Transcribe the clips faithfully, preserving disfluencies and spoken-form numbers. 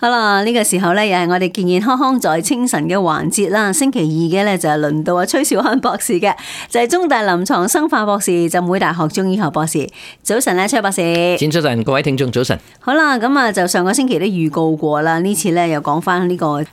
好啦，呢個時候咧又係我哋健健康康在清晨嘅環節啦。星期二嘅咧就係輪到阿崔兆漢博士嘅，就係中大臨床生化博士、浸會大學中醫學博士。早晨咧，崔博士。早晨，各位聽眾早晨。好啦，咁啊就上個星期都預告過啦，呢次咧又講翻呢個癌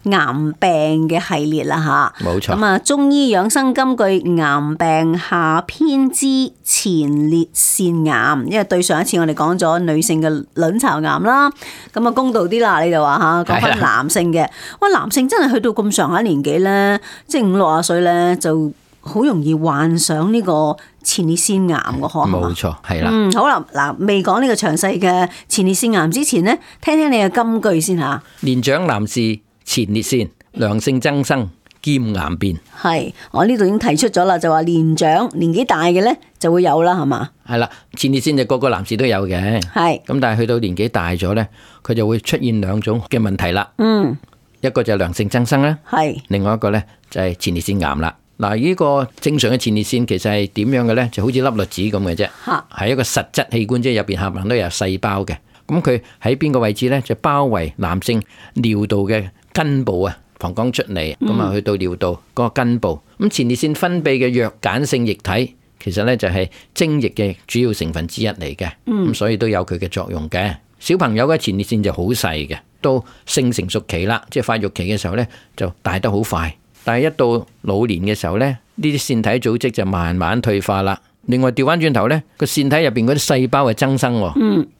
病嘅系列啦吓。冇錯。咁啊，中醫養生金句癌病下篇之前列腺癌，因為對上一次我哋講咗女性嘅卵巢癌啦，咁啊公道啲啦，你就話。吓，講翻男性嘅，哇，男性真係去到咁上下年紀咧，即係五六十歲咧，就好容易患上呢個前列腺癌嘅可能。冇錯，係啦。嗯，好啦，嗱，未講呢個詳細嘅前列腺癌之前咧，聽聽你嘅金句先吓。年長男士前列腺良性增生兼癌變。係，我呢度已經提出咗啦，就話年長年紀大嘅咧就會有啦，係嘛？係啦，前列腺就個個男士都有嘅。係。咁但係去到年紀大咗咧，佢就會出現兩種嘅問題啦。嗯。一個就係良性增生啦。係。另外一個咧就係前列腺癌啦。嗱，呢個正常嘅前列腺其實係點樣嘅咧？就好似粒栗子咁嘅啫。嚇。係一個實質器官，即係入邊冚唪唥都有細胞嘅。咁佢喺邊個位置咧？就包圍男性尿道嘅根部啊。膀胱出嚟，咁啊去到尿道嗰個根部，咁前列腺分泌嘅弱鹼性液體，其實咧就係精液嘅主要成分之一嚟嘅，咁所以都有佢嘅作用嘅。小朋友嘅前列腺就好細嘅，到性成熟期啦，即係發育期嘅時候咧就大得好快，但係一到老年嘅時候咧，呢啲腺體組織就慢慢退化啦。另外調翻轉頭咧，個腺體入邊嗰啲細胞係增生，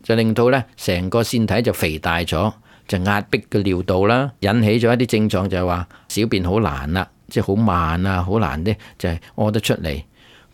就令到咧成個腺體就肥大咗。就壓迫個尿道啦，引起咗一啲症狀，就係話小便好難啦，即係好慢啊，好難咧就係屙得出嚟。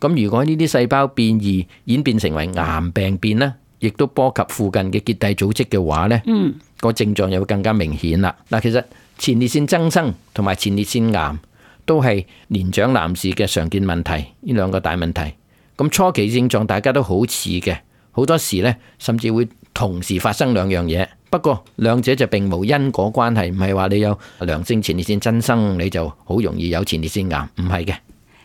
咁如果呢啲細胞變異演變成為癌病變啦，亦都波及附近嘅結締組織嘅話咧，嗯，個症狀又會更加明顯啦。嗱，其實前列腺增生同埋前列腺癌都係年長男士嘅常見問題，呢兩個大問題。咁初期症狀大家都好似嘅，好多時咧甚至會同時發生兩樣嘢。不過兩者就並無因果關係，唔係話你有良性前列腺增生你就好容易有前列腺癌，唔係嘅。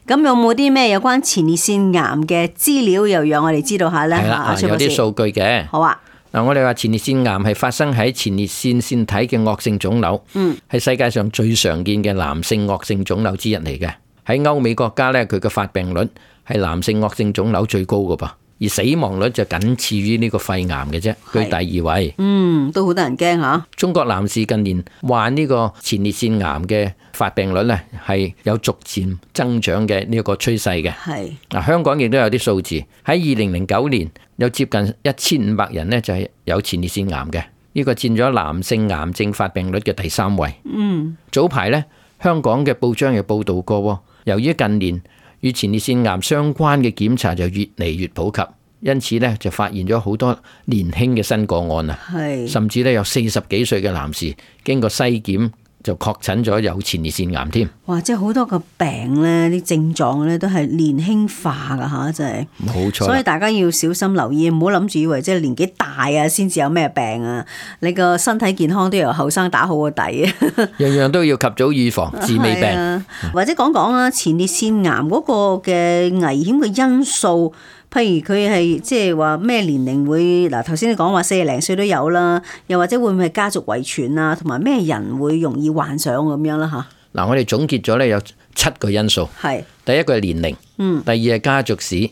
咁有冇啲咩有關前列腺癌嘅資料又讓我哋知道下呢？係啦，有啲數據嘅。好啊。嗱，我哋話前列腺癌係發生喺前列腺腺體嘅惡性腫瘤，嗯，係世界上最常見嘅男性惡性腫瘤之一嚟嘅。喺歐美國家呢，佢嘅發病率係男性惡性腫瘤最高㗎噃。而死亡率就僅次於呢個肺癌嘅啫，居第二位。嗯，都好多人驚吓。中國男士近年患呢個前列腺癌嘅發病率咧，係有逐漸增長嘅呢個趨勢嘅。係嗱，香港亦都有啲數字，喺二零零九年有接近一千五百人呢，就係有前列腺癌嘅，呢個佔咗男性癌症發病率嘅第三位。嗯，早排呢，香港嘅報章有報道過，由於近年與前列腺癌相關嘅檢查就越嚟越普及，因此咧就發現咗好多年輕嘅新個案啊，甚至咧有四十幾歲嘅男士經過篩檢就確診咗有前列腺癌添。哇！即係好多個病咧，啲症狀咧都係年輕化噶吓，真係。冇錯。所以大家要小心留意，唔好諗住以為即係年紀大啊先至有咩病啊，你個身體健康都由後生打好個底啊。樣樣都要及早預防，治未病。啊、或者講講啊，前列腺癌嗰個嘅危險嘅因素。譬如佢係即係話咩年齡會嗱，頭先你講話四十零歲都有啦，又或者會唔會係家族遺傳啊，同埋咩人會容易患上咁樣啦吓？嗱，我哋總結咗咧有七個因素，係第一個係年齡，嗯，第二係家族史，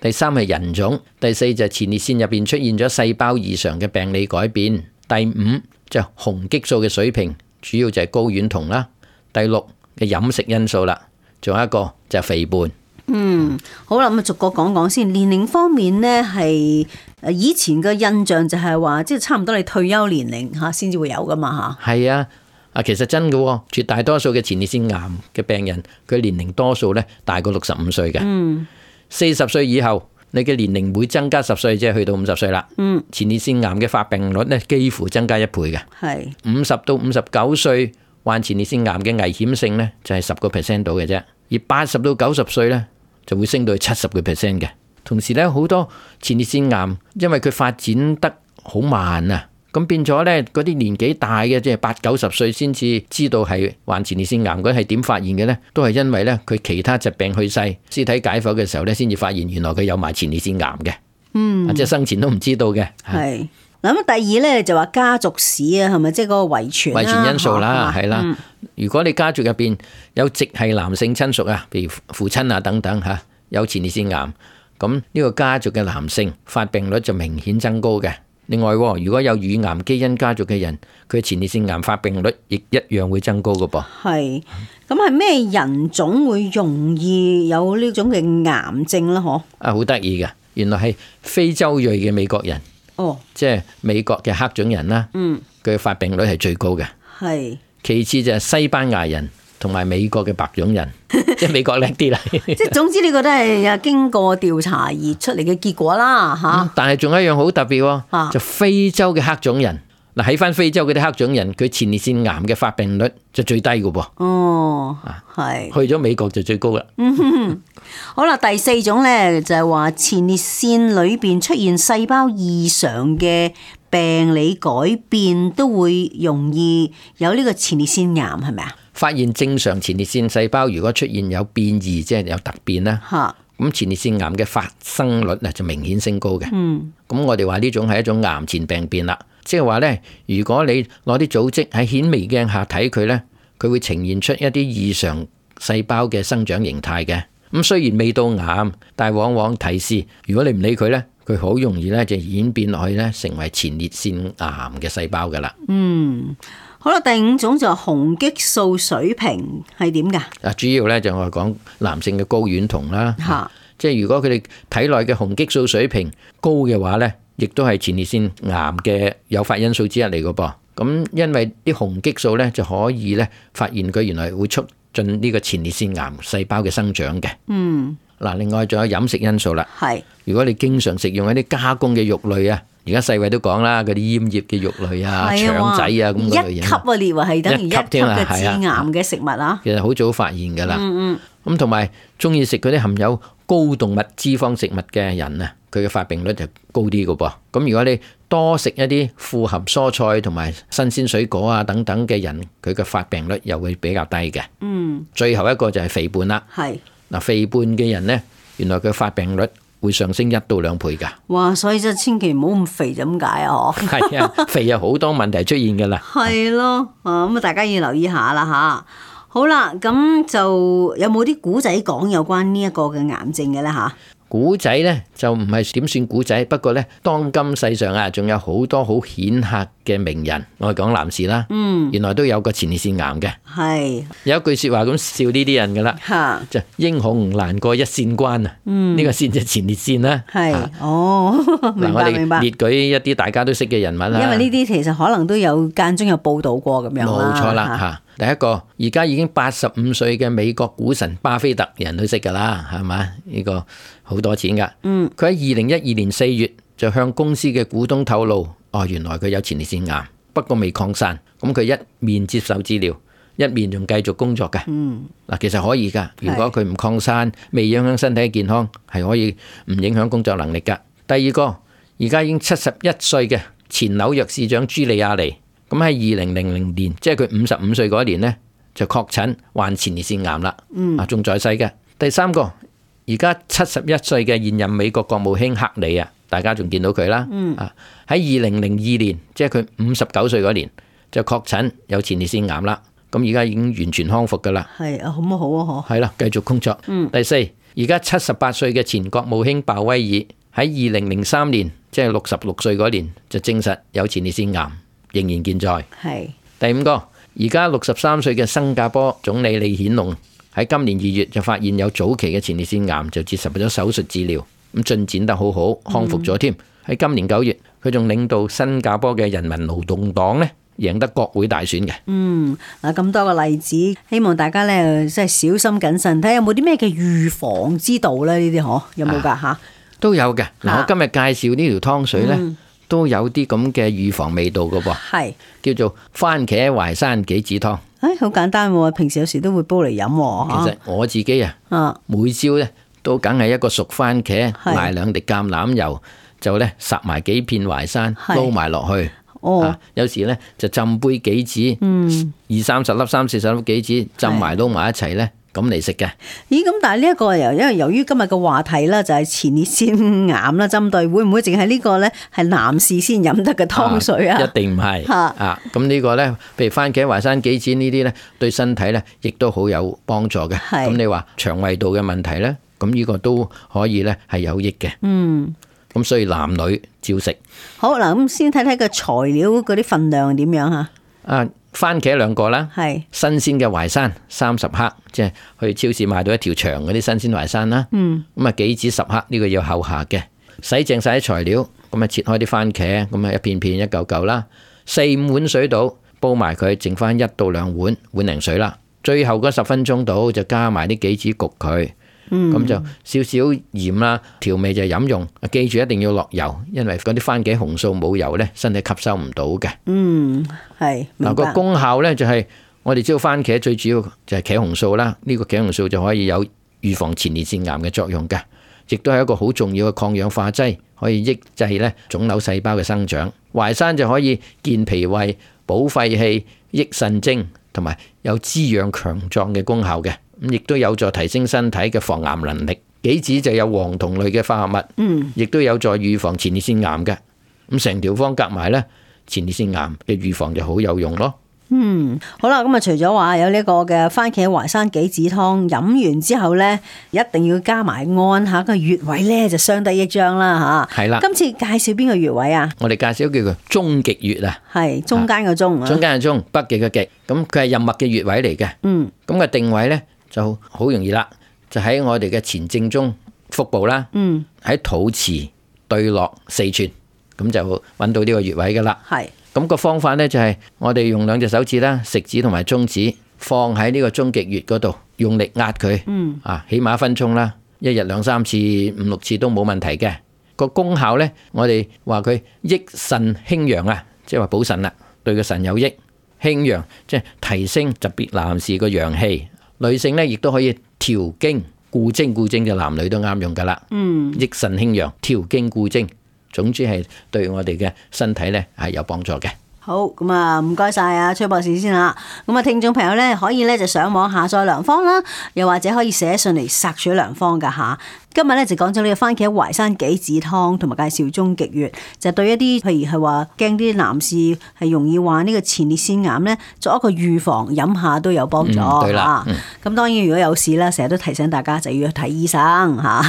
第三係人種，第四就係前列腺入邊出現咗細胞異常嘅病理改變，第五就係雄激素嘅水平，主要就係睾丸酮啦，第六嘅飲食因素啦，仲有一個就係肥胖。嗯，好啦，咁啊逐個講講先。年齡方面呢，係誒以前嘅印象就係話，即係差唔多你退休年齡吓先至會有噶嘛吓。係啊，啊其實真嘅，絕大多數嘅前列腺癌嘅病人，佢年齡多數咧大過六十五歲嘅。嗯，四十歲以後，你嘅年齡會增加十歲，即係去到五十歲啦。嗯，前列腺癌嘅發病率咧幾乎增加一倍嘅。係五十到五十九歲患前列腺癌嘅危險性咧就係十個 percent 到嘅啫，而八十到九十歲咧，就會升到去七十個 percent 嘅。同時咧，好多前列腺癌因為佢發展得好慢啊，咁變咗咧嗰啲年紀大嘅，即係八九十歲先至知道係患前列腺癌，嗰係點發現嘅咧？都係因為咧佢其他疾病去世，屍體解剖嘅時候咧，先至發現原來佢有埋前列腺癌嘅。嗯，即係生前都唔知道嘅。係嗱咁第二咧就話家族史啊，係咪即係嗰個遺傳遺傳因素啦，係啦。嗯、如果你家族入邊有直系男性親屬啊，譬如父親啊等等嚇，有前列腺癌，咁呢個家族嘅男性發病率就明顯增高嘅。另外，如果有乳癌基因家族嘅人，佢前列腺癌發病率亦一樣會增高嘅噃。係，咁係咩人種會容易有呢種嘅癌症咧？嗬？啊，好得意嘅，原來係非洲裔嘅美國人。哦，即係美國嘅黑種人啦，嗯，佢發病率係最高嘅，係。其次就係西班牙人同埋美國嘅白種人，即係美國叻啲啦。即係總之呢個都係經過調查而出嚟嘅結果啦，吓、嗯。但係仲有一樣好特別喎，啊、就非洲嘅黑種人。嗱，喺翻非洲嗰啲黑種人，佢前列腺癌嘅發病率就最低嘅噃。哦，係。去咗美國就最高啦。嗯，好啦，第四種咧就係話前列腺裏邊出現細胞異常嘅病理改變，都會容易有呢個前列腺癌，係咪啊？發現正常前列腺細胞如果出現有變異，即係有突變啦。吓。咁前列腺癌嘅發生率咧就明顯升高嘅。嗯。咁我哋話呢種係一種癌前病變啦。即係話咧，如果你攞啲組織喺顯微鏡下睇佢咧，佢會呈現出一啲異常細胞嘅生長形態嘅。咁雖然未到癌，但係往往提示，如果你唔理佢咧，佢好容易咧就演變落去咧，成為前列腺癌嘅細胞噶啦。嗯，好啦，第五種就係雄激素水平係點噶？啊，主要咧就我講男性嘅睾丸酮啦。吓、啊，即係如果佢哋體內嘅雄激素水平高嘅話咧，亦都係前列腺癌嘅誘發因素之一嚟嘅噃。咁因為啲雄激素咧就可以咧發現佢原來會促進呢個前列腺癌細胞嘅生長嘅。嗯。嗱，另外仲有飲食因素啦。係。如果你經常食用一啲加工嘅肉類啊，而家世衛都講啦，嗰啲醃醃嘅肉類啊、腸仔啊咁嗰類嘢。一級啊，列為係等於一級嘅致癌嘅食物啊。其實好早發現㗎啦。嗯嗯。咁同埋中意食嗰啲含有高動物脂肪食物嘅人啊，佢嘅發病率就高啲㗎噃。咁如果你多食一啲富含蔬菜同埋新鮮水果啊等等嘅人，佢嘅發病率又會比較低嘅。嗯。最後一個就係肥胖啦。係。嗱，肥胖嘅人咧，原來佢發病率會上升一到兩倍噶。哇！所以就千祈唔好咁肥，就咁解啊！嗬。係啊，肥有好多問題出現噶啦。係咯，啊咁啊，大家要留意下啦吓。好啦，咁就有冇啲古仔講有關呢一個嘅癌症嘅咧吓？古仔咧就唔係點算古仔，不過咧當今世上啊，仲有好多好顯赫嘅名人，我係講男士啦，嗯，原來都有個前列腺癌嘅，係有一句說話咁笑呢啲人噶啦，吓就英雄難過一線關啊，嗯，呢個線就前列腺啦，係哦，明白明白，列舉一啲大家都識嘅人物啦，因為呢啲其實可能都有間中有報道過咁樣啦，冇錯啦吓。第一個而家已經八十五歲嘅美國股神巴菲特，人都識噶啦，係嘛？呢個好多錢噶。嗯，佢喺二零一二年四月就向公司嘅股東透露，哦，原來佢有前列腺癌，不過未擴散。咁佢一面接受治療，一面仲繼續工作嘅。嗯，嗱，其實可以噶。如果佢唔擴散，未影響身體嘅健康，係可以唔影響工作能力噶。第二個，而家已經七十一歲嘅前紐約市長朱利亞尼。咁喺二零零零年，即係佢五十五歲嗰一年呢，就確診患前列腺癌啦。嗯，啊，仲在世嘅。第三個，而家七十一歲嘅現任美國國務卿克里啊，大家仲見到佢啦。嗯，啊，喺二零零二年，即係佢五十九歲嗰年，就確診有前列腺癌啦。咁而家已經完全康復噶啦。係啊，好唔好啊？嗬。係啦，繼續工作。嗯。第四，而家七十八歲嘅前國務卿鮑威爾喺二零零三年，即係六十六歲嗰年，就證實有前列腺癌。仍然健在。係第五個，而家六十三歲嘅新加坡總理李顯龍喺今年二月就發現有早期嘅前列腺癌，就接受咗手術治療，咁進展得好好，康復咗添。喺今年九月，佢仲領導新加坡嘅人民勞動黨咧，贏得國會大選嘅。嗯，嗱，咁多個例子，希望大家咧即係小心謹慎，睇下有冇啲咩嘅預防之道咧？呢啲嗬有冇噶吓？都有嘅。嗱，我今日介紹呢條湯水咧。嗯都有啲咁嘅預防味道嘅噃，係叫做番茄淮山杞子湯。誒，好簡單喎，平時有時都會煲嚟飲喎。其實我自己啊，啊每朝咧都梗係一個熟番茄，賣兩滴橄欖油，就咧烚埋幾片淮山，撈埋落去。哦、啊，有時咧就浸杯杞子，嗯，二三十粒、三四十粒杞子浸埋撈埋一齊咧，咁嚟食嘅。咦？咁但係呢一個由因為由於今日嘅話題啦，就係前列腺癌啦，針對會唔會淨係呢個咧係男士先飲得嘅湯水啊？啊一定唔係啊！咁呢個咧，譬如番茄、淮山、杞子呢啲咧，對身體咧亦都好有幫助嘅。咁你話腸胃道嘅問題咧，咁呢個都可以咧係有益嘅。嗯。咁所以男女照食。好嗱，咁先睇睇個材料嗰啲份量點樣吓？啊，番茄兩個啦，係新鮮嘅淮山三十克，即係去超市買到一條長嗰啲新鮮淮山啦。嗯，咁啊杞子十克，呢個要後下嘅。洗淨晒啲材料，咁啊切開啲番茄，咁啊一片片一嚿嚿啦，四五碗水度煲埋佢，剩翻一到兩碗碗零水啦。最後嗰十分鐘度就加埋啲杞子焗佢。咁、嗯、就少少鹽啦，調味就飲用。記住一定要落油，因為嗰啲番茄紅素冇油呢，身體吸收唔到嘅。嗯，係。嗱個功效呢，就係、是、我哋知道番茄最主要就係茄紅素啦，呢、這個茄紅素就可以有預防前列腺癌嘅作用嘅，亦都係一個好重要嘅抗氧化劑，可以抑制呢腫瘤細胞嘅生長。淮山就可以健脾胃、補肺氣、益腎精，同埋有滋養強壯嘅功效嘅。咁亦都有助提升身體嘅防癌能力。杞子就有黃酮類嘅化合物，嗯，亦都有助預防前列腺癌嘅。咁成條方夾埋咧，前列腺癌嘅預防就好有用咯。嗯，好啦，咁啊，除咗話有呢個嘅番茄淮山杞子湯飲完之後咧，一定要加埋按下個穴位咧，就相得益彰啦吓。係啦，今次介紹邊個穴位啊？我哋介紹叫做中極穴啊，係中間個中啊，中間個中，北極嘅極。咁佢係任脈嘅穴位嚟嘅。嗯，咁嘅定位咧，就好容易啦，就喺我哋嘅前正中腹部啦，嗯，喺肚臍對落四寸，咁就揾到呢個穴位噶啦。係，咁個方法呢，就係我哋用兩隻手指啦，食指同埋中指放喺呢個中極穴嗰度，用力壓佢，嗯，啊，起碼一分鐘啦，一日兩三次、五六次都冇問題嘅。個功效呢，我哋話佢益腎興陽啊，即係話補腎啦，對個腎有益。興陽即係提升特別男士個陽氣。女性咧，亦都可以調經固精，固精就男女都啱用噶啦。嗯，益腎興陽，調經固精，總之係對我哋嘅身體咧係有幫助嘅。好，咁啊，唔該晒啊，崔博士先啦。咁啊，聽眾朋友咧可以咧就上網下載良方啦，又或者可以寫信嚟索取良方噶吓。今日咧就講咗呢個番茄淮山杞子湯，同埋介紹中極穴，就對一啲譬如係話驚啲男士係容易患呢個前列腺癌咧，作一個預防，飲下都有幫助。嗯、對啦。咁、嗯、當然如果有事啦，成日都提醒大家就要去睇醫生吓。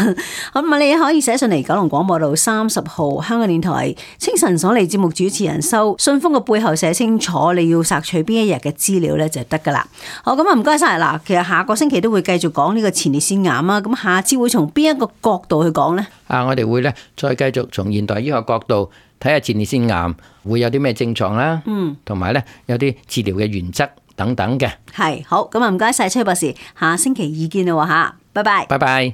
咁啊，你可以寫信嚟九龍廣播道三十號香港電台清晨所嚟節目主持人收信封嘅背後寫清楚你要索取邊一日嘅資料咧就得噶啦。好，咁啊唔該晒嗱，其實下個星期都會繼續講呢個前列腺癌啊。咁下次會從邊一個角度去講呢？啊，我哋會咧再繼續從現代醫學角度睇下前列腺癌會有啲咩症狀啦，嗯，同埋咧有啲治療嘅原則等等嘅。係，好，咁啊唔該晒崔博士，下星期二見啦吓，拜拜，拜拜。